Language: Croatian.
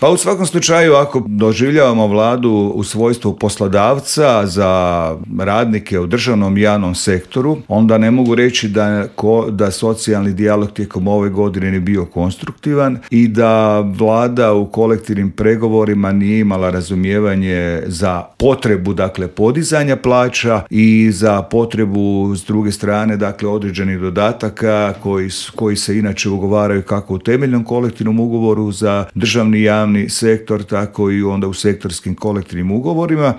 Pa u svakom slučaju, ako doživljavamo vladu u svojstvu poslodavca za radnike u državnom i javnom sektoru, onda ne mogu reći da socijalni dijalog tijekom ove godine nije bio konstruktivan i da vlada u kolektivnim pregovorima nije imala razumijevanje za potrebu, dakle, podizanja plaća i za potrebu s druge strane, dakle, određenih dodataka koji se inače ugovaraju kako u temeljnom kolektivnom ugovoru za državni i javni sektor, tako i onda u sektorskim kolektivnim ugovorima.